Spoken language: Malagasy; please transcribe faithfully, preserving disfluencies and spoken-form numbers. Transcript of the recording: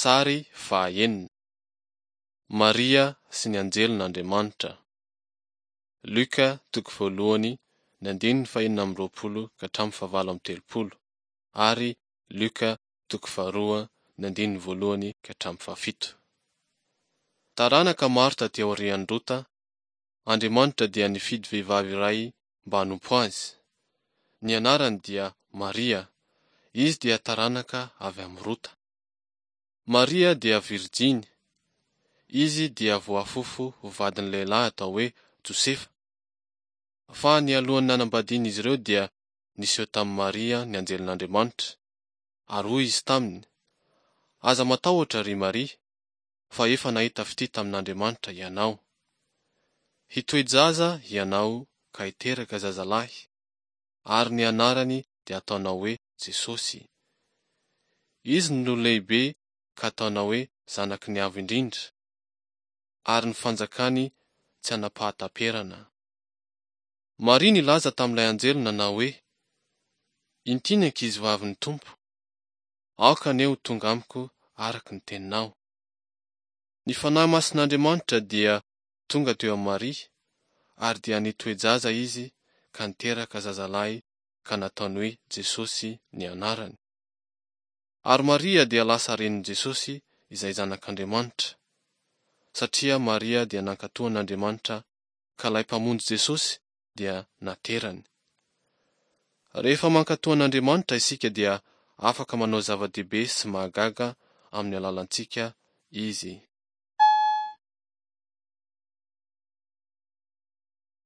Sary fahaenina. Maria sy ny anjelin'Andriamanitra. Lioka toko voalohany ny andininy fahenina amby roapolo ka hatramin'ny fahavalo amby telopolo ary Lioka toko faharoa ny andininy voalohany ka hatramin'ny fahafito. Taranaka maro taty aorian'i Rota, Andriamanitra dia nifidy vehivavy iray mba hanompo Azy. Ny anarany dia Maria. Izy dia taranaka avy amin'i Rota. Maria dia virijiny. Izy dia voafofo ho vadin'ny lehilahy atao hoe Josefa. Fa nialohan'ny nanambadian'izy ireo dia niseho tamin'i Maria ny anjelin'Andriamanitra, ary hoy izy taminy, Aza matahotra, ry Maria, fa efa nahita fitia tamin'Andriamanitra ianao. Hitoe-jaza ianao ka hiteraka zazalahy, ary ny anarany dia hataonao hoe Jesosy. Izy no lehibe ka hataonao hoe Zanaky ny Avo Indrindra, ary ny fanjakany tsy hanam-pahataperana. Maria nilaza tamin'ilay anjely nanao hoe, Inty ny ankizivavin'ny Tompo, aoka anie ho tonga amiko araka ny teninao. Ny Fanahy Masin'Andriamanitra dia tonga teo amin'i Maria, ary dia nitoe-jaza izy ka niteraka zazalahy ka nataony hoe Jesosy ny anarany. Ary Maria dia lasa renin'i Jesosy izay Zanak'Andriamanitra. Satria Maria dia nankatò an'Andriamanitra ka ilay Mpamonjy Jesosy dia naterany. Rehefa mankatò an'Andriamanitra isika dia afaka manao zava-dehibe sy mahagaga amin'ny alalantsika Izy.